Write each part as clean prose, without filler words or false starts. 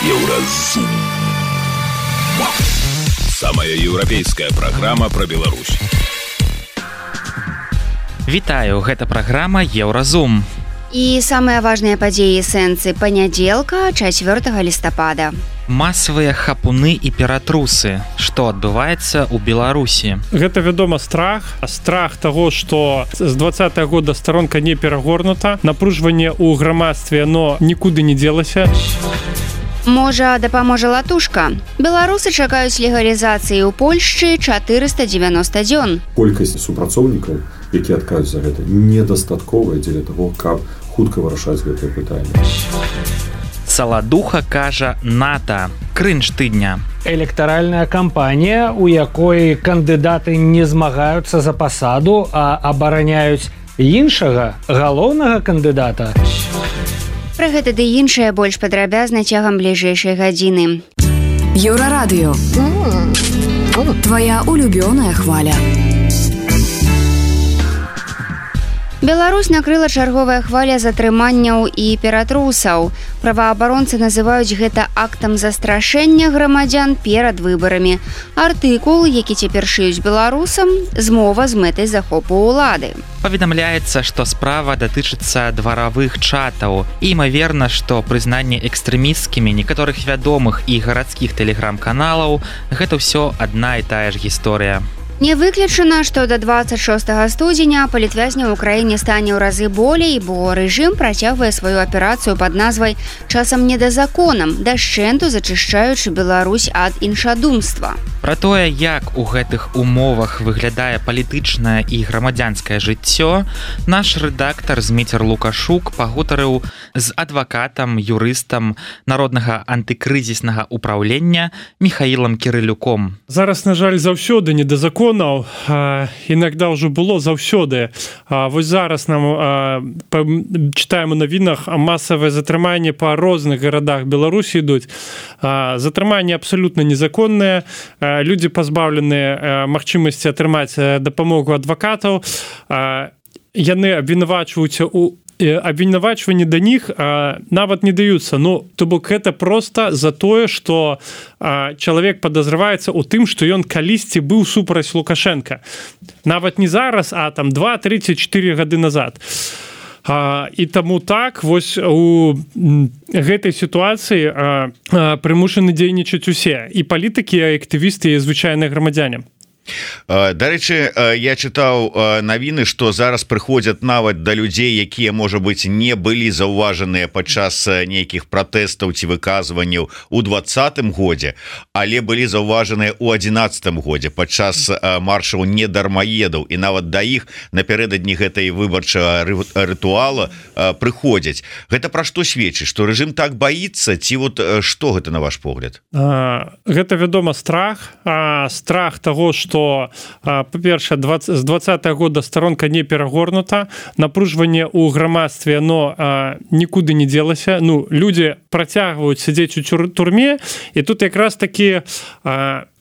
Еўразум. Самая еўрапейская праграма пра Беларусь. Вітаю, гэта праграма Еўразум. І самыя важныя падзеі сэнсы панядзелка 4 лістапада. Масавыя хапуны і ператрусы. Што адбываецца ў Беларусі? Гэта, вядома, страх таго, што з 20-го года старонка не перагорнута, напружванне ў грамадстве, но нікуды не дзелася. Можа, дапаможа латушка. Беларусы чакаюць легалізацыі ў Польшчы 490 дзён. Колькасць супрацоўнікаў, якія адкажуць за гэта, недастатковая дзеля таго, каб хутка вырашаць гэтае пытанне. Саладуха кажа НАТО. Крынж тыдня. Электаральная кампанія, у якой кандыдаты не змагаюцца за пасаду, а абараняюць іншага, галоўнага кандыдата. Пра гэта ды іншае больш падрабязна цягам бліжэйшай гадзіны. Еўрарадыё. Твоя улюбёная хваля. Беларусь накрыла чарговая хваля затрыманняў і ператрусаў. Праваабаронцы называюць гэта актам застрашэння грамадзян перад выбарамі. Артыкул, які цяпер шыюць беларусам, змова з мэтай захопу ўлады. Паведамляецца, што справа датычыцца дваравых чатаў. І імаверна, што прызнанне экстрэмісцкімі некаторых вядомых і гарадскіх тэлеграм-каналаў гэта ўсё адна і тая ж гісторыя. Не выключана, што да 26 студзеня палітвязняў у краіне стане ў разы болей, бо рэжым працягвае сваю аперацыю пад назвай «Часам недазаконам», дашчэнту зачышчаючы Беларусь ад іншадумства. Пра тое, як у гэтых умовах выглядае палітычнае і грамадзянскае жыццё, наш рэдактар Зміцер Лукашук пагутарыў з адвакатам, юрыстам народнага антыкрызіснага ўпраўлення Міхаілам Кірылюком. Зараз, на жаль, заўсёды недазаконаў, інакда ўжо было заўсёды. Вось зараз нам чытаем у навінах масавае затрыманне па розных гарадах Беларусі ідуць. Затрыманні абсалютна незаконныя, людзі пазбаўленыя магчымасці атрымаць дапамогу адвакатаў. Яны абвінавачваюцца ў абвінавачванні да них нават не даюцца. Ну, то бок гэта проста за тое, што чалавек падазраваецца ў тым, што ён калісьці быў супраць Лукашенка. Нават не зараз, а там 2, 3 ці 4 гады назад. І таму так, вось у гэтай сітуацыі прымушаны дзейнічаць усе. І палітыкі, і актывісты, і звычайныя грамадзяне. Дарэчы, я чытаў навіны, што зараз прыходзяць нават да людзей, якія, можа быць, не былі заўважаныя падчас нейкіх пратэстаў ці выказванняў у 20-м годзе, але былі заўважаныя ў 11-м годзе падчас маршаў недармаедаў, і нават да іх напярэдадні гэтай выбарчага рытуала прыходзяць. Гэта пра што сведчыць, што рэжым так баіцца, ці вот што гэта на ваш погляд? Гэта, вядома, страх таго, што па-першае, з 20-го года старонка не перагорнута, напружванне ў грамадстве, но нікуды не дзелася. Ну, людзі працягваюць сядзець у турме, і тут якраз такі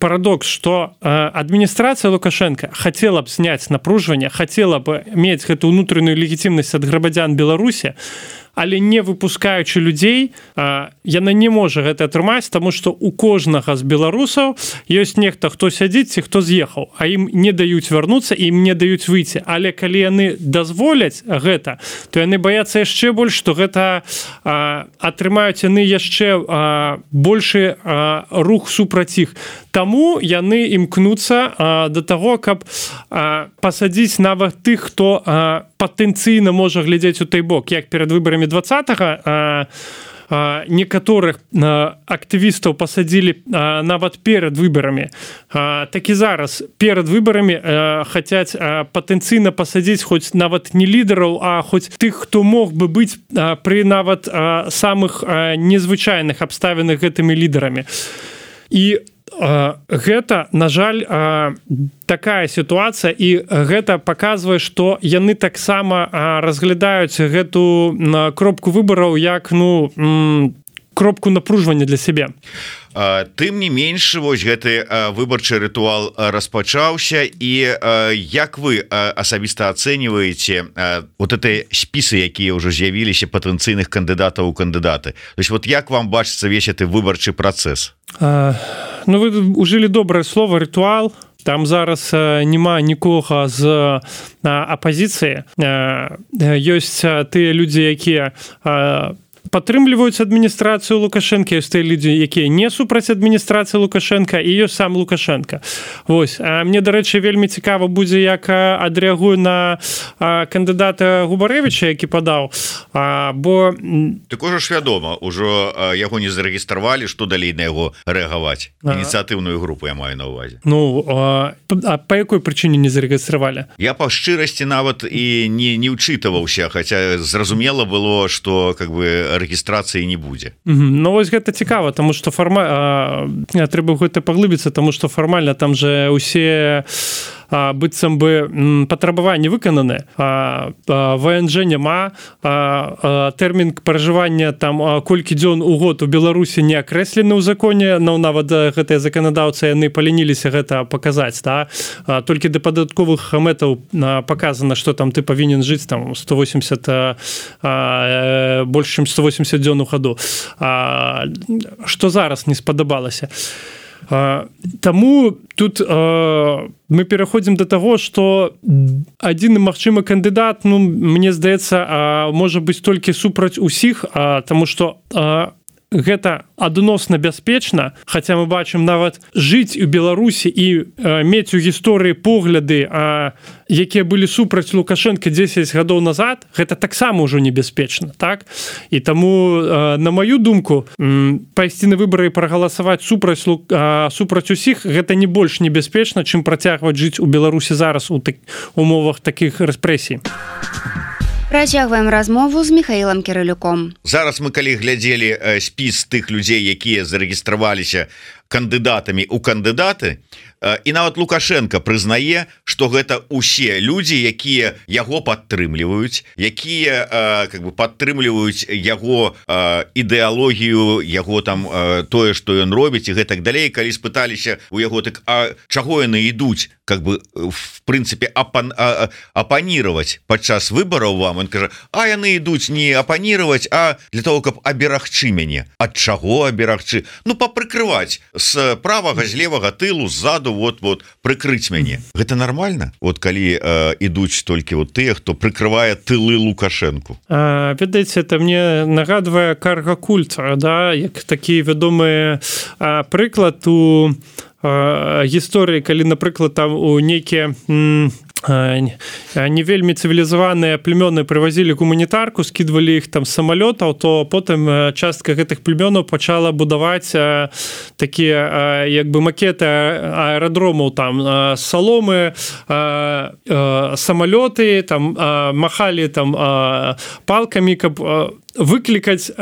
парадокс, што адміністрацыя Лукашенка хацела б зняць напружванне, хацела б мець гэту ўнутраную легітымнасць ад грамадзян Беларусі, але не выпускаючы людзей, яна не можа гэта атрымаць, таму што у кожнага з беларусаў ёсць нехта, хто сядзіць ці хто з'ехаў, а ім не даюць вярнуцца, ім не даюць выйти. Але калі яны дазволяць гэта, то яны баяцца яшчэ больш, што гэта атрымаюць яны яшчэ большы рух супраць іх. Таму яны імкнуцца да таго, каб пасадзіць нават тых, хто патэнцыйна можа глядзець у той бок, як перад выбарамі 20-го некаторых актывістаў пасадзілі нават перад выбарамі. Так і зараз перад выбарамі хацяць патэнцыйна пасадзіць хоць нават не лідараў, а хоць тых, хто мог бы быць пры нават самых незвычайных абставінах гэтымі лідарамі. І гэта, на жаль, такая сітуацыя, і гэта паказвае, што яны таксама разглядаюць гэту кропку выбараў як, кропку напружвання для сябе. Тым не менш, вось гэты выбарчы рытуал распачаўся, і як вы асабіста ацэньваеце вот эти спісы, якія ўжо з'явіліся патэнцыйных кандыдатаў у кандыдаты? То есть вот як вам бачыцца весь гэты выбарчы працэс? Ну, вы ужылі добрае слово рытуал. Там зараз няма нікога з апазіцыі. Ёсць тыя людзі, якія падтрымліваюць адміністрацыю Лукашенко, ёсць тыя людзі, якія не супраць адміністрацыі Лукашенко, і ёсць сам Лукашенко. Вось. Мне, дарэчы, вельмі цікава будзе, як адрэагуе на кандыдата Губарэвіча, які падаў, бо... Так ужо ж вядома, ужо яго не зарэгістравалі, што далей на яго рэагаваць? Ініцыятыўную групу я маю на ўвазе. Ну, а па якой прычыне не зарэгістравалі? Я па шчырасці нават і не ўчытаваўся, хаця зразумела было, што как бы рэгістрацыі не будзе. Ну вось гэта цікава, таму што трэба гэта паглыбіцца, таму што фармальна там же усе быццам бы патрабаванні выкананы, ВНЖ няма, тэрмін пражывання там колькі дзён у год у Беларусі не акрэслены ў законе, но нават гэтыя заканадаўцы яны палініліся гэта паказаць, да? Толькі да падатковых мэтаў паказана, што там ты павінен жыць там 180 больш чым 180 дзён у году. Што зараз не спадабалася? Таму тут мы пераходзім да таго, што адзіны магчымы кандыдат, ну, мне здаецца, можа быць толькі супраць усіх, таму што гэта адносна бяспечна, хаця мы бачым нават жыць у Беларусі і мець у гісторыі погляды, якія былі супраць Лукашенко 10 гадоў назад, гэта таксама ўжо небяспечна, так? І таму, на маю думку, пайсці на выбары і прагаласаваць супраць усіх, гэта не больш небяспечна, чым працягваць жыць у Беларусі зараз у умовах такіх рэпрэсій. Працягваем размову з Михаілам Кірылюком. Зараз мы калі глядзелі спіс тых людзей, якія зарэгістраваліся кандыдатамі ў кандыдаты, і нават Лукашенко прызнае, што гэта усе людзі, якія яго падтрымліваюць, якія как бы падтрымліваюць яго ідэалогію, яго там тое, што ён робіць і гэтак далей. Калі спыталіся у яго, так а чаго яны ідуць, как бы в прынцыпе апанировать падчас выбараў вам, он кажа, а яны ідуць не апанировать, а для того, каб аберагчы мяне. Ад чаго аберагчы? Ну папрыкрываць з правага, з левага тылу, ззаду, вот прыкрыць мяне. Гэта нормально? Вот калі ідуць толькі вот тыя, хто прыкрывае тылы Лукашенку. Ведаеце, это мне нагадвае карга-культ, да, як такі вядомы прыклад у гісторыі, калі, напрыклад, там у нейкія не вельмі цывілізаваныя племёны прывазілі гуманітарку, скідвалі іх там з самалётаў, то потым частка гэтых племёнаў пачала будаваць такія як бы макеты аэрадромаў, там саломы, самалёты, там махалі там палкамі, каб выклікаць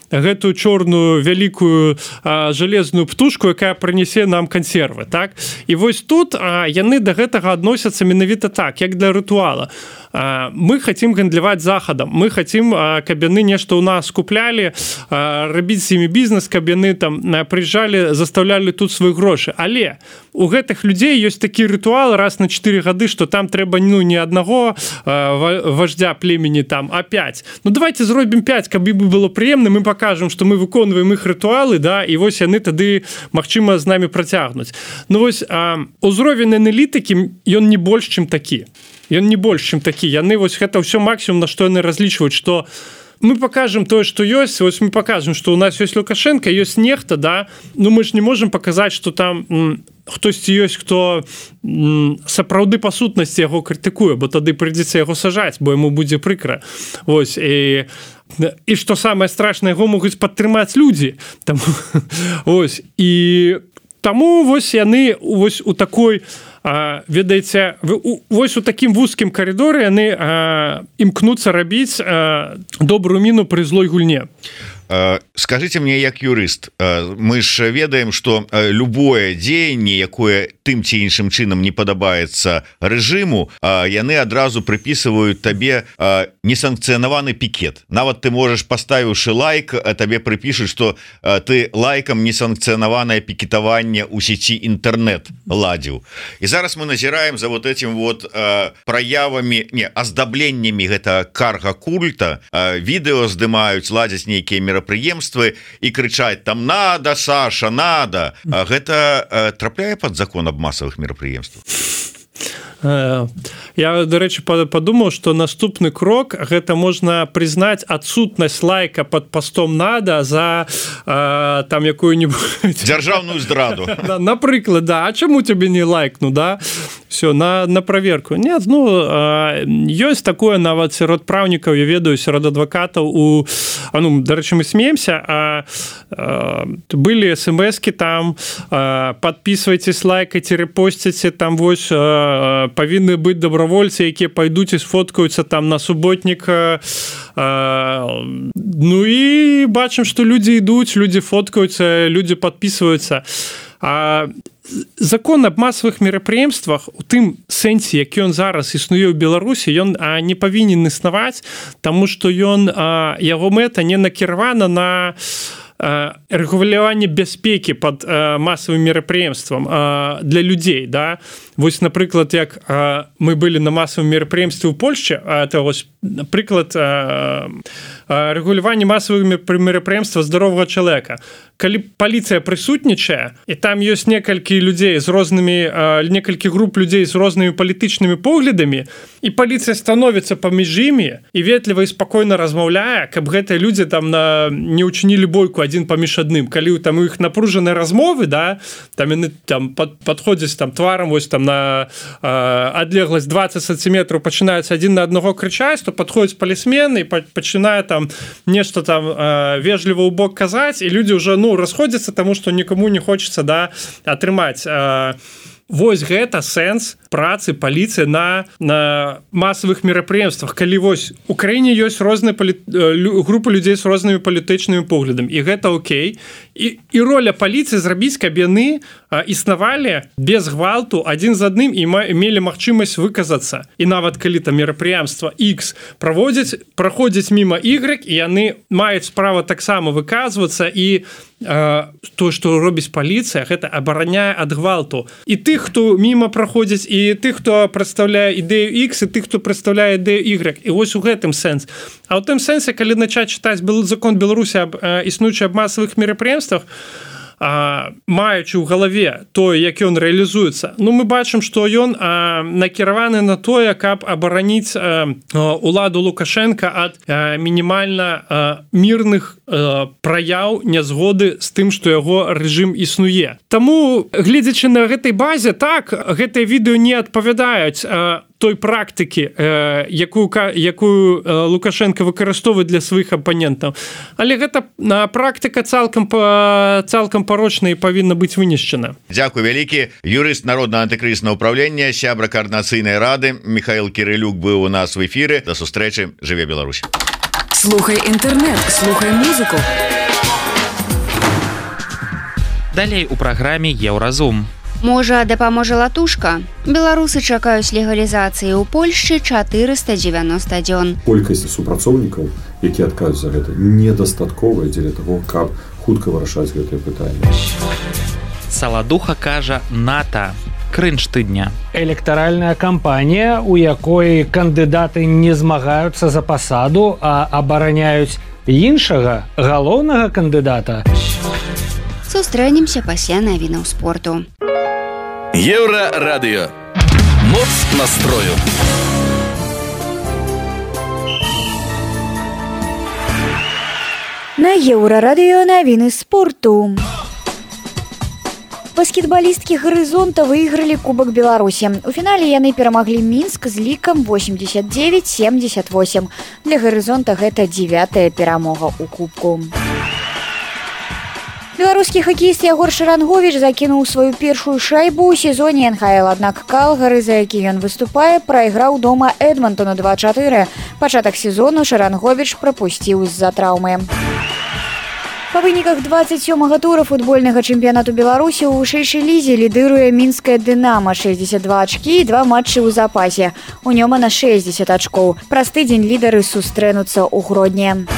гэтую чорную вялікую жалезную птушку, якая прынясе нам кансервы, так? І вось тут яны да гэтага адносяцца менавіта так, як для рытуала. Мы хотим гандляваць захадам, мы хотим, каб яны нешта ў нас куплялі, рабіць з імі бізнес, каб яны там прыязджалі, заставлялі тут свае грошы. Але у гэтых людзей ёсць такі рытуал раз на 4 гады, што там трэба не аднаго вождя племені там, а 5. Ну давайте зробім 5, каб ім было прыемна, мы пакажам, што мы выконваем іх рытуалы, да, і вось яны тады магчыма з намі працягнуць. Ну вось узровень аналітыкі ён не больш чым такі. Ён не больш чым такі. Яны вось гэта ўсё максімум, на што яны разлічваюць, што мы покажем тое, што ёсць, вось мы покажем, што у нас ёсць Лукашенко, ёсць нехта, да, ну мы ж не можем показаць, што там хтосьці ёсць, хто сапраўды па сутнасці яго крытыкуе, бо тады прыйдзецца яго сажаць, бо яму будзе прыкра. Вось, і што самае страшнае, яго могуць падтрымаць людзі. Там, ось, і таму вось яны вось у такой ведаеце, вось у такім вузкім каридоры яны імкнуцца рабіць добрую міну пры злой гульне. З скажите мне як юрыст, мы ж ведаем, что любое дзеянне, якое тым ці іншым чынам не падабаецца рэжыму, яны адразу прыпісваюць табе несанкцыянаваны пікет. Нават ты можаш, паставіўшы лайк, табе прыпішуць, что ты лайкам несанкцыянаванае пікетаванне ў сеці інтэрнет ладзіў. І зараз мы назіраем за вот этим вот праявамі, аздабленнямі гэта карга культа, відэо здымаюць, ладзяць нейкія мерапрыемствы і крычаць там «надо, Саша, надо». Гэта трапляе пад закон об массовых мерапрыемствах? Я, до рэчы, подумаў, что наступны крок гэта можна прызнаць адсутнасць лайка под постом «надо» за там якую-нибудь дзяржаўную здраду. Напрыклад, да, а чаму тебе не лайкну, да? Все, на проверку. Нет, ну, ёсць такое нават сярод праўнікаў, я ведаю, сярод адвакатаў ну, до рэчы, мы смеемся, былі смс-ки там, подписывайтесь, лайкайте, репостите, там вось павінны быць добровольцы, якія пайдуць і сфоткаюцца там на суботніка. Ну і бачым, што людзі ідуць, людзі фоткаюцца, людзі подписываюцца. Закон об массовых мерапрыемствах у тым сэнсе, які ён зараз існуе ў Беларусі, ён не павінен існаваць, таму што яго мэта не накіравана на рэгуляванне бяспекі под массовым мерапрыемствам для людзей, да? Вось, напрыклад, як мы былі на массовым мерапрыемстве ў Польшчы, это вось прыклад рэгулявання массовых мерапрыемстваў здаровага чалавека. Калі паліцыя прысутнічае, і там ёсць некалькі людзей з рознымі, некалькі груп людзей з рознымі палітычнымі поглядамі, і паліцыя становіцца паміж імі і ветліва і спакойна размаўляе, каб гэтыя людзі там не ўчынілі бойку адзін паміж адным. Калі там у іх напружаныя размовы, да, там яны там падходзяць там тварам вось там на адлегласць 20 сантиметраў, пачынаюць адзін на аднаго крычаць, то падходзіць палісмен і пачынае там нешта там вежліва ў бок казаць, і людзі ўжо расходзяцца, таму што нікому не хочацца, да, атрымаць. Вось гэта сэнс працы паліцыі на масавых мерапрыемствах, калі вось у краіне ёсць розныя групы людзей з рознымі палітычнымі поглядамі, і гэта окей. І роля паліцыі зрабіць, каб яны існавалі без гвалту адзін з адным і мелі магчымасць выказацца. І нават калі там мерапрыемства X праходзяць міма Y, і яны маюць права таксама выказвацца, і то, што робіць паліцыя, гэта абараняе ад гвалту. І тых, хто міма праходзіць, і тых, хто прадстаўляе ідэю X, і тых, хто прадстаўляе ідэю Y. І вось у гэтым сэнс. А ў тым сэнсе, калі начаць чытаць закон Беларусі існуючы аб масавых мерапрыемствах, маючы ў галаве тое, як ён рэалізуецца, ну мы бачым, што ён накіраваны на тое, каб абараніць уладу Лукашенка ад мінімальна мірных праяў нязгоды з тым, што яго рэжым існуе. Таму, гледзячы на гэтай базе, так, гэтыя відэо не адпавядаюць той практыкі, якую Лукашенко выкарыстоўвае для сваіх апанентаў. Але гэта практыка цалкам парочная і павінна быць вынішчана. Дзякуй вялікі. Юрыст Народнага антыкрызіснага ўпраўлення, сябра каардынацыйнай рады Михаил Кірылюк быў у нас в эфіры. До сустрэчы. Жыве Беларусь. Слухай інтэрнэт, слухай музыку. Далей у праграме Еўразум. Можа, дапаможа латушка? Беларусы чакаюць легалізацыі ў Польшчы 490 дзён. Колькасць супрацоўнікаў, які адказваюць за гэта, недастатковая дзеля таго, каб хутка вырашаць гэтае пытанне. Саладуха кажа НАТО. Крынж тыдня. Электаральная кампанія, у якой кандыдаты не змагаюцца за пасаду, а абараняюць іншага галоўнага кандыдата. Сустрэнемся пасля навінаў спорту. Еўрарадыё. Моц настрою. На Еўрарадыё навіны спорту. Баскетбалісткі «Гарызонта» выйгралі Кубак Беларусі. У фінале яны перамаглі Мінск з лікам 89-78. Для «Гарызонта» гэта 9-я перамога ў Кубку. Беларускі хакеіст Ягор Шаранговіч закінуў сваю першую шайбу ў сезоне НХЛ, аднак Калгары, за які ён выступае, прайграў дома Эдмантону 2-4. Пачатак сезону Шаранговіч прапусціў з-за траўмы. Па выніках 27-га тура футбольнага чэмпіянату Беларусі ў вышэйшай лізе лідыруе мінская «Дынама» 62 ачкі і 2 матчы ў запасе. У Нёмана 60 ачкоў. Праз тыдзень лідары сустрэнуцца ў Гродні.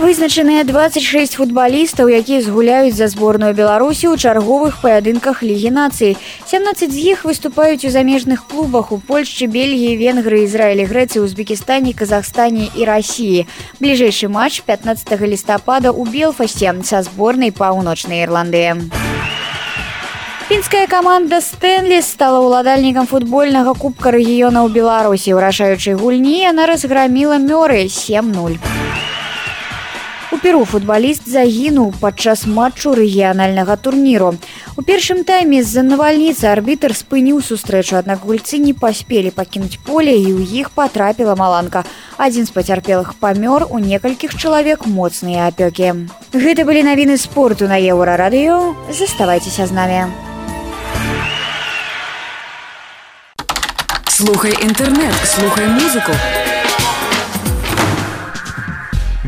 Вызначаныя 26 футбалістаў, якія згуляюць за зборную Беларусі ў чарговых паядынках Лігі нацый. 17 з іх выступаюць у замежных клубах у Польшчы, Бельгіі, Венгрыі, Ізраілі, Грэцыі, Узбекістане, Казахстане і Расіі. Бліжэйшы матч 15 лістапада ў Белфасце са зборнай Паўночнай Ірландыі. Фінская каманда «Стэнлі» стала ўладальнікам футбольнага кубка рэгіёна ў Беларусі. У рашаючай гульні яна разграміла Мёры 7-0. У Перу футбаліст загінуў падчас матчу рэгіянальнага турніру. У першым тайме з-за навальніцы арбітр спыніў сустрэчу, аднак гульцы не паспелі пакінуць поле і ў іх патрапіла маланка. Адзін з пацярпелых памёр, у некалькіх чалавек моцныя апёкі. Гэта былі навіны спорту на Еўрарадыё. Заставайцеся з намі. Слухай інтэрнэт, слухай музыку.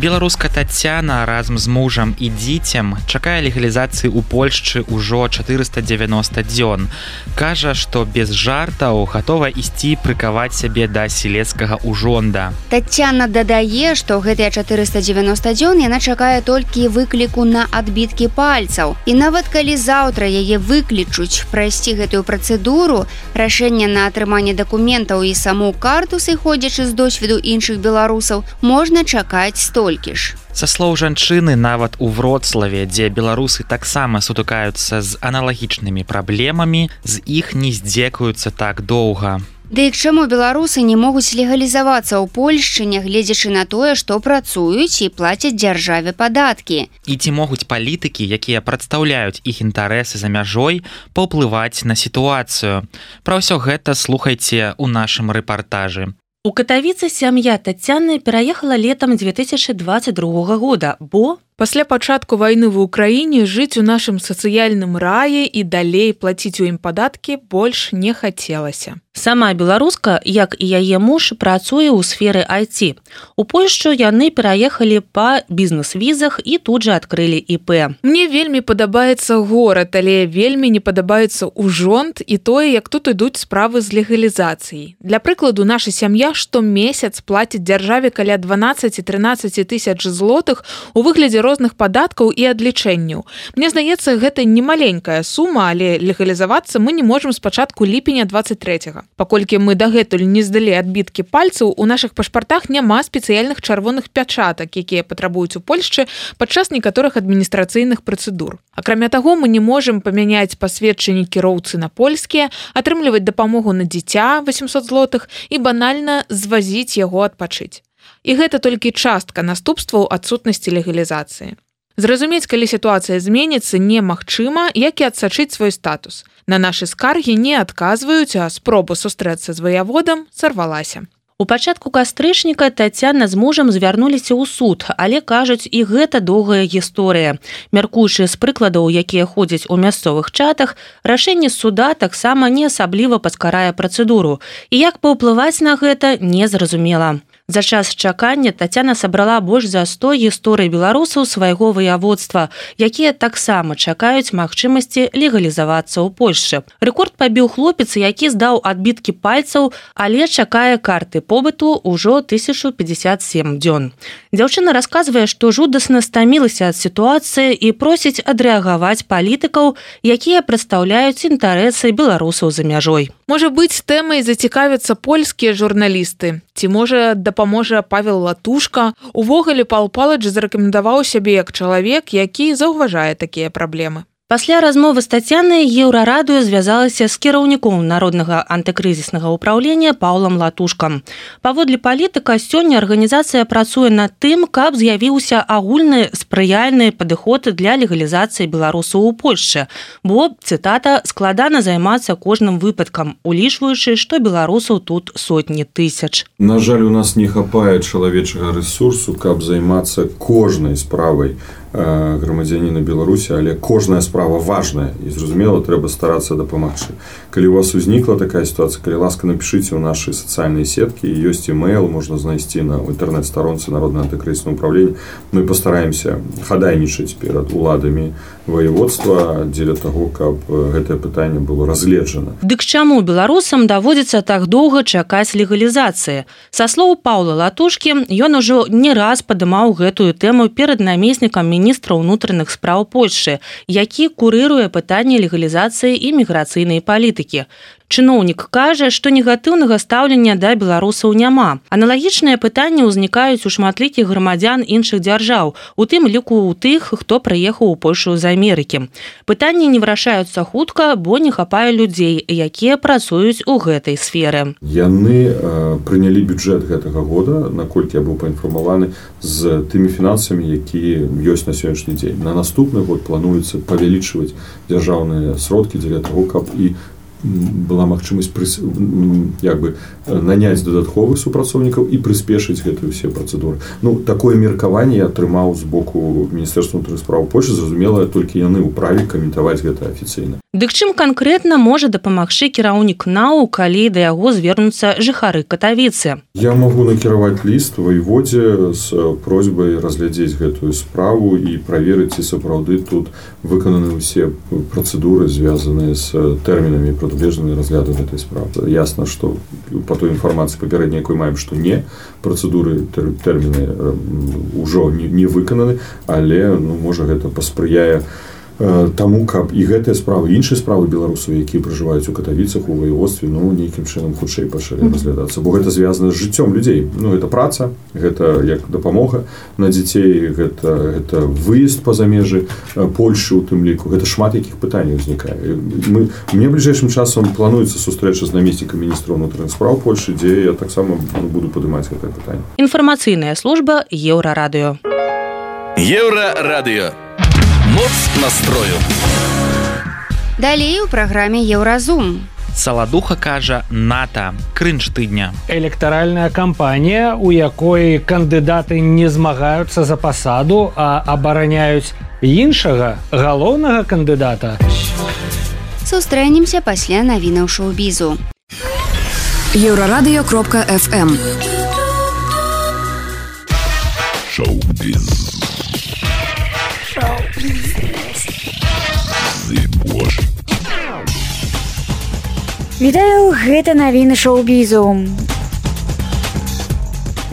Беларуска Тацяна разам з мужам і дзіцем чакае легалізацыі ў Польшчы ўжо 490 дзён. Кажа, што без жартаў гатова ісці прыкаваць сябе да селецкага ўжонда. Тацяна дадае, што гэтыя 490 дзён яна чакае толькі выкліку на адбіткі пальцаў. І нават калі заўтра яе выклічуць прайсці гэтую працэдуру, рашэнне на атрыманне дакументаў і саму карту, сыходзячы з досведу іншых беларусаў, можна чакаць столькі. Са слоў жанчыны, нават у Вроцлаве, дзе беларусы таксама сутыкаюцца з аналагічнымі праблемамі, з іх не здзекаюцца так доўга. Ды і к чаму беларусы не могуць легалізавацца ў Польшчы, нягледзячы на тое, што працуюць і плацяць дзяржаве падаткі? І ці могуць палітыкі, якія прадстаўляюць іх інтарэсы за мяжой, паўплываць на сітуацыю? Пра ўсё гэта слухайце ў нашым рэпартажы. У Катавіцы сям'я Тацяны пераехала летам 2022 года, бо пасля пачатку вайны ў Украіне жыць у нашым сацыяльным раі і далей плаціць у ім падаткі больш не хацелася. Сама беларуска, як і яе муж, працуе ў сферы IT. У Польшчу яны пераехалі па бізнес-візах і тут жа адкрылі ІП. Мне вельмі падабаецца горад, але вельмі не падабаецца ўжонд і тое, як тут ідуць справы з легалізацыяй. Для прыкладу, наша сям'я штомесяц плаціць дзяржаве каля 12-13 тысяч злотых у выглядзе розных падаткаў і адлічэнняў. Мне здаецца, гэта не маленькая сума, але легалізавацца мы не можам з пачатку ліпеня 23-го. Паколькі мы дагэтуль не здалі адбіткі пальцаў, у нашых пашпартах няма спецыяльных чырвоных пячатак, якія патрабуюць у Польшчы падчас некаторых адміністрацыйных працэдур. Акрамя таго, мы не можам памяняць пасведчанні кіроўцы на польскія, атрымліваць дапамогу на дзіця 800 злотых і банальна звазіць яго адпачыць. І гэта толькі частка наступстваў адсутнасці легалізацыі. Зразумець, калі сітуацыя зменіцца, немагчыма, як і адсачыць свой статус. На нашы скаргі не адказваюць, а спроба сустрэцца з ваяводам сарвалася. У пачатку кастрычніка Тацяна з мужам звярнуліся ў суд, але, кажуць, і гэта доўгая гісторыя. Мяркуючы з прыкладаў, якія ходзяць у мясцовых чатах, рашэнне суда таксама не асабліва паскарае працэдуру. І як паўплываць на гэта, незразумела. За час чакання Тацяна сабрала больш за 100 гісторый беларусаў свайго ваяводства, якія таксама чакаюць магчымасці легалізавацца ў Польшчы. Рэкорд пабіў хлопец, які здаў адбіткі пальцаў, але чакае карты побыту ўжо 1057 дзён. Дзяўчына расказвае, што жудасна стамілася ад сітуацыі і просіць адрэагаваць палітыкаў, якія прадстаўляюць інтарэсы беларусаў за мяжой. Можа быць, тэмай зацікавяцца польскія журналісты. Ці можа дапаможа Павел Латушка? Увогуле Пал Палыч зарэкамендаваў сябе як чалавек, які заўважае такія праблемы. Пасля размовы з Тацянай Еўрарадыё звязалася з кіраўніком Народнага антыкрызіснага ўпраўлення Паўлам Латушкам. Паводле палітыка, сёння арганізацыя працуе над тым, каб з'явіўся агульны спрыяльны падыход для легалізацыі беларусаў у Польшчы, бо, цытата, складана займацца кожным выпадкам, улічваючы, што беларусаў тут сотні тысяч. На жаль, у нас не хапае чалавечага рэсурсу, каб займацца кожнай справай грамадзяніна Беларусі, але кожная справа справа важная і зразумела, трэба старацца дапамагчы. Калі у вас узнікла такая сітуацыя, калі ласка, напішыце ў нашы сацыяльныя сеткі, ёсць email, можна знайсці на інтэрнэт-старонцы Народнага антыкрызіснага ўправлення. Мы пастараемся хадайнічаць перад уладамі воеводства дзеля таго, каб гэтае пытанне было разгледжана. Дык чаму беларусам даводзіцца так доўга чакаць легалізацыі? Са слоў Паўла Латушкі, ён ужо не раз падымаў гэтую тэму перад намеснікам міністра ўнутраных спраў Польшчы, які курыруе пытанне легалізацыі і міграцыйнай палітыкі. Чыноўнік кажа, што негатыўнага стаўлення да беларусаў няма. Аналагічныя пытанні ўзнікаюць у шматлікіх грамадзян іншых дзяржаў, у тым ліку ў тых, хто прыехаў у Польшу з Амерыкі. Пытанні не вырашаюцца хутка, бо не хапае людзей, якія працуюць у гэтай сферы. Яны прынялі бюджэт гэтага года, наколькі я быў паінфармаваны, з тымі фінансамі, якія ёсць на сённяшні дзень. На наступны год плануецца павялічваць дзяржаўныя сродкі дзеля таго, каб і была магчымасць наняць дадатковых супрацоўнікаў і прыспешыць гэтыя ўсе працэдуры. Такое меркаванне я атрымаў з боку Міністэрства ўнутраных спраў Польшчы, зразумела, толькі яны ў праве каментаваць гэта афіцыйна. Дык чым канкрэтна можа дапамагчы кіраўнік НАУ, калі да яго звернуцца жыхары Катавіцы? Я магу накіраваць ліст воеводзе з просьбай разглядзець гэтую справу і праверыць, ці сапраўды тут выкананы ўсе працэдуры, звязаныя з тэрмінамі прадугледжаныя разгляду гэтай справы. Ясна, што па той інфармацыі папярэдняй, якой маем, што не, працэдуры, тэрміны ўжо не выкананы, але можа гэта паспрыяе таму, каб і гэтыя справы, іншыя справы беларусаў, якія пражываюць у Катавіцах, у воеводстве, нейкім чынам хутчэй пачалі разглядацца, бо гэта звязана з жыццём людзей. Гэта праца, гэта як дапамога на дзяцей, гэта выезд па-за межы Польшы, у тым ліку, гэта шмат якіх пытанняў узнікае. Мне бліжэйшым часам плануецца сустрэча з намеснікам міністра ўнутраных спраў Польшчы, дзе я таксама буду падымаць гэтае пытанне. Інфармацыйная служба Еўрарадыё. Еўрарадыё. Моц настрою. Далей у праграме Еўразум. Саладуха кажа НАТО. Крынж тыдня. Электаральная кампанія, у якой кандыдаты не змагаюцца за пасаду, а абараняюць іншага галоўнага кандыдата. Сустрэнемся пасля навінаў шоу-бізу. Еўрарадыё.фм. Шоу-біз. Вітаю, гэта навіны шоу-бізу.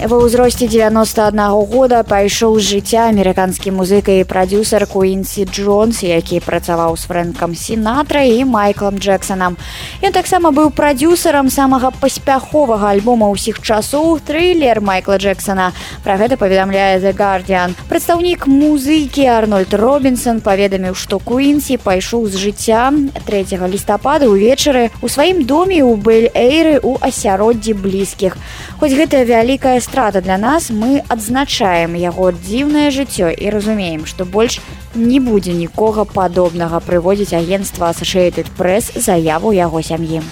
Ва ўзросце 91 года пайшоў з жыцця амерыканскі музыка і прадзюсар Куінсі Джонс, які працаваў з Фрэнкам Сінатра і Майклам Джексонам. Ён таксама быў прадзюсарам самага паспяховага альбома ўсіх часоў «Трылер» Майкла Джексона. Пра гэта паведамляе The Guardian. Прадстаўнік музыкі Арнольд Робінсон паведаміў, што Куінсі пайшоў з жыцця 3 лістапада ўвечары ў сваім доме ў Бель-Эйры ў асяроддзі блізкіх. Хоць гэта вялікая страта для нас, мы адзначаем яго дзіўнае жыццё і разумеем, што больш не будзе нікога падобнага, прыводзіць агенцтва Associated Press заяву яго сям'і.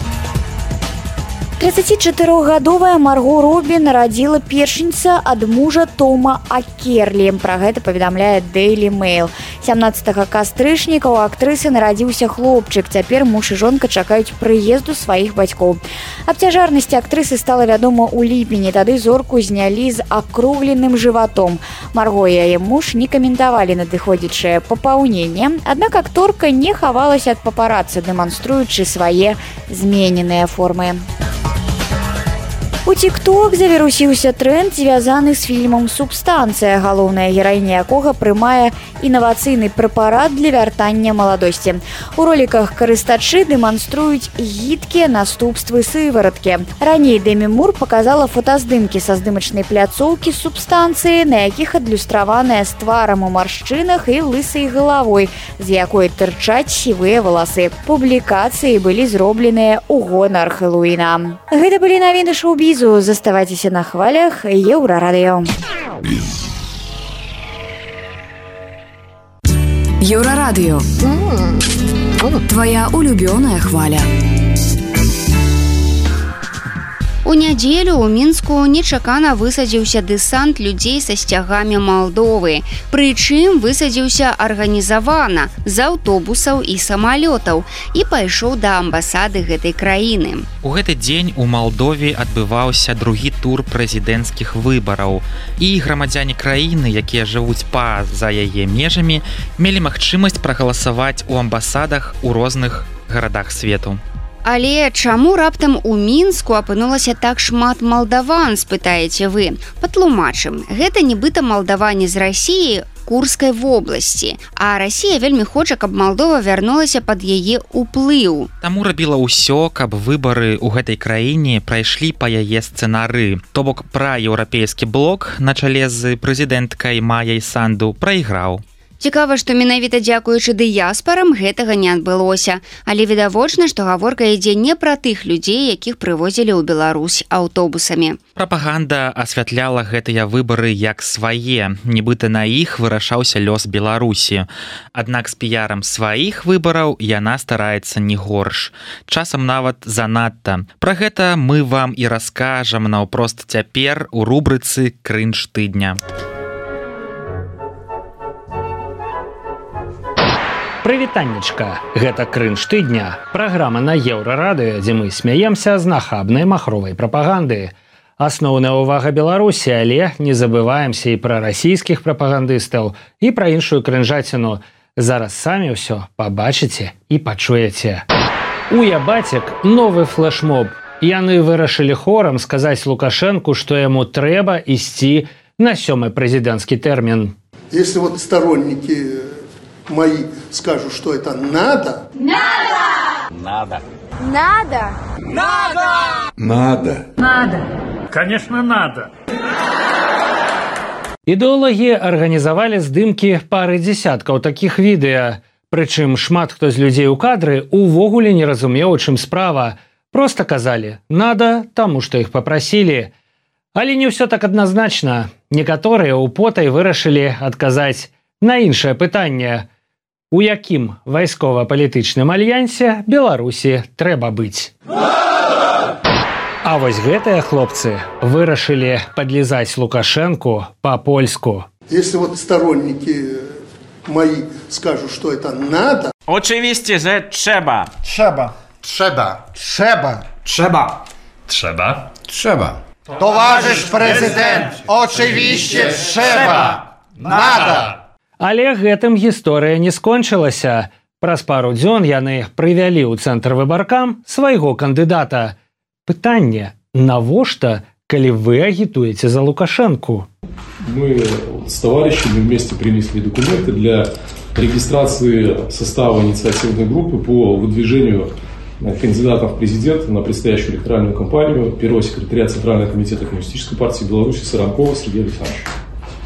34-гадовая Марго Робі нарадзіла першынца ад мужа Тома Акерлі. Пра гэта паведамляе Daily Mail. 17 кастрычніка у актрысы нарадзіўся хлопчык. Цяпер муж і жонка чакаюць прыезду сваіх бацькоў. Аб цяжарнасці актрысы стала вядома ў ліпені. Тады зорку знялі з акругленым жыватом. Марго і яе муж не каментавалі надыходзячае папаўненне, аднак акторка не хавалася ад папарацы, дэманструючы свае змененыя формы. У TikTok завірусіўся тренд, звязаны з фільмам «Субстанцыя», галоўная гераіня якога прымае інавацыйны прэпарат для вяртання маладосці. У роліках карыстачы дэманструюць гідкія наступствы сывороткі. Раней Дэмі Мур паказала фотаздымкі са здымачнай пляцоўкі «Субстанцыі», на якіх адлюстраваная з тварам у маршчынах і лысай галавой, з якой тырчаць сівыя валасы. Публікацыі былі зробленыя ў гонар Хэллоуіна. Гэта былі навіны шоу-бізу. Заставайцеся на хвалях Еўрарадыё. Еўрарадыё. Твоя улюбёная хваля. У нядзелю ў Мінску нечакана высадзіўся дэсант людзей са сцягамі Малдовы. Прычым высадзіўся арганізавана з аўтобусаў і самалётаў і пайшоў да амбасады гэтай краіны. У гэты дзень у Малдове адбываўся другі тур прэзідэнцкіх выбараў. І грамадзяне краіны, якія жывуць па-за яе межамі, мелі магчымасць прагаласаваць у амбасадах у розных гарадах свету. Але чаму раптам у Мінску апынулася так шмат малдаван, спытаеце вы? Патлумачым. Гэта нібыта малдаване з Расіі, Курскай вобласці. А Расія вельмі хоча, каб Малдова вярнулася пад яе ўплыў. Таму рабіла ўсё, каб выбары ў гэтай краіне прайшлі па яе сцэнары. То бок праеўрапейскі блок на чале з прэзідэнткай Майяй Санду прайграў. Цікава, што менавіта дзякуючы дыяспарам гэтага не адбылося. Але відавочна, што гаворка ідзе не пра тых людзей, якіх прывозілі ў Беларусь аўтобусамі. Прапаганда асвятляла гэтыя выбары як свае, нібыта на іх вырашаўся лёс Беларусі. Аднак з піярам сваіх выбараў яна стараецца не горш. Часам нават занадта. Пра гэта мы вам і раскажам наўпрост цяпер у рубрыцы «Крынж тыдня». Прывітаннечка, гэта крынж тыдня, праграма на Еўрарадыё, дзе мы смяемся з нахабнай махровай прапаганды. Асноўная ўвага Беларусі, але не забываемся і пра расійскіх прапагандыстаў, і пра іншую крынжаціну. Зараз самі ўсё пабачыце і пачуеце. У Ябацік новы флешмоб. Яны вырашылі хорам сказаць Лукашэнку, што яму трэба ісці на 7-й прэзідэнцкі тэрмін. Если вот сторонники мои скажут, что это надо. Надо! Надо! Надо! Надо! Надо! Надо! Конечно, надо! Ідэолагі арганізавалі здымкі пары дзесяткаў такіх відэа. Прычым шмат хто з людзей у кадры увогуле не разумеў, у чым справа. Проста казалі «надо», таму што іх папрасілі. Але не ўсё так адназначна. Некаторыя употай вырашылі адказаць на іншае пытанне. У якім вайскова-палітычным альянсе Беларусі трэба быць? А вось гэтыя хлопцы вырашылі падлізаць Лукашэнку па-польску. Если вот сторонники мои скажут, что это надо. Oczywiście, że trzeba. Trzeba. Trzeba. Trzeba. Trzeba. Trzeba? Trzeba. Towarzysz prezydent, oczywiście trzeba. Надо. Але гэтым гісторыя не скончылася. Праз пару дзён яны прывялі ў цэнтр выбаркам свайго кандыдата. Пытанне, навошта, калі вы агітуеце за Лукашэнку? Мы с товарищами вместе принесли документы для регистрации состава инициативной группы по выдвижению кандидатов в президенты на предстоящую электоральную кампанию первого секретаря Центрального комитета Коммунистической партии Беларуси Саранкова Сергея Александровича.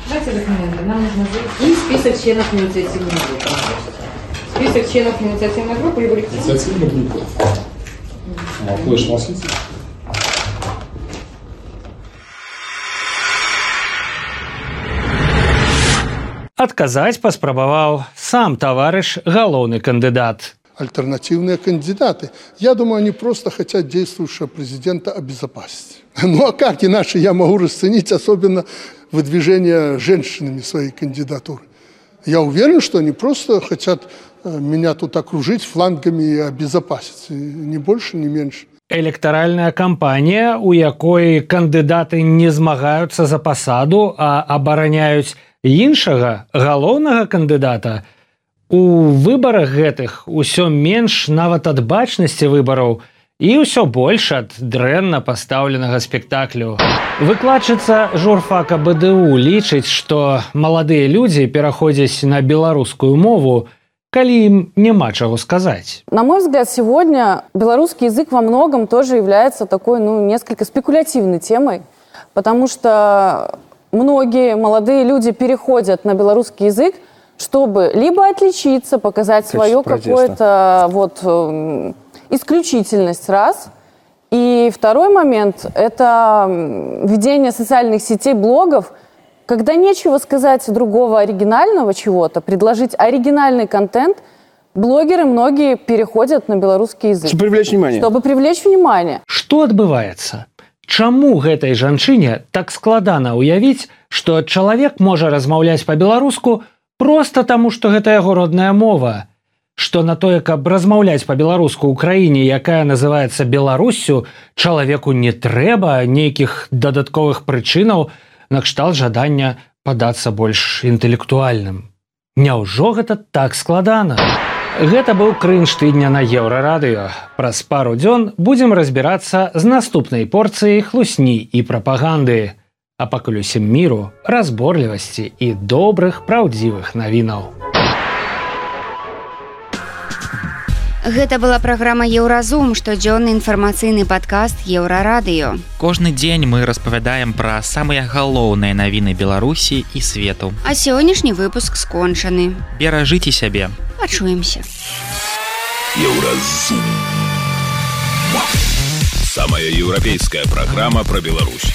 Давайте документы. Нам нужно и список членов инициативной группы. Список членов инициативной группы и будет... Инициативная группа. Флеш-носитель. Адказаць паспрабаваў сам таварыш галоўны кандыдат. Альтернативные кандидаты. Я думаю, они просто хотят действующего президента обезопасить. Ну а как иначе я могу расценить особенно выдвижение женщинами своей кандидатуры? Я уверен, что они просто хотят меня тут окружить флангами и обезопасить. Ни больше, ни меньше. Электаральная кампанія, у якой кандыдаты не змагаюцца за пасаду, а абараняюць іншага галоўнага кандыдата. У выбарах гэтых усё менш нават ад бачнасці выбараў і ўсё больш ад дрэнна пастаўленага спектаклю. Выкладчыца журфака БДУ лічыць, што маладыя людзі пераходзяць на беларускую мову, калі им няма чаго сказать. На мой взгляд, сегодня белорусский язык во многом тоже является такой, несколько спекулятивной темой, потому что многие молодые люди переходят на белорусский язык, чтобы либо отличиться, показать свою какую-то исключительность, раз. И второй момент – это ведение социальных сетей, блогов, когда нечего сказать другого оригинального чего-то, предложить оригинальный контент, блогеры многие переходят на белорусский язык. Чтобы привлечь внимание. Чтобы привлечь внимание. Что отбывается? Чаму гэтай жанчыне так складана ўявіць, што чалавек можа размаўляць па-беларуску проста таму, што гэта яго родная мова, што на тое, каб размаўляць па-беларуску ў краіне, якая называецца Беларуссю, чалавеку не трэба нейкіх дадатковых прычынаў накшталт жадання падацца больш інтэлектуальным. Няўжо гэта так складана? Гэта быў крынж тыдня на Еўрарадыё. Праз пару дзён будзем разбірацца з наступнай порцыяй хлусні і прапаганды. А пакуль усім міру, разборлівасці і добрых, праўдзівых навінаў. Гэта была праграма Еўразум, штодзённы інфармацыйны падкаст Еўрарадыё. Кожны дзень мы распавядаем пра самыя галоўныя навіны Беларусі і свету. А сённяшні выпуск скончаны. Беражыце сябе. Пачуемся. Еўразум. Самая еўрапейская программа про Беларусь.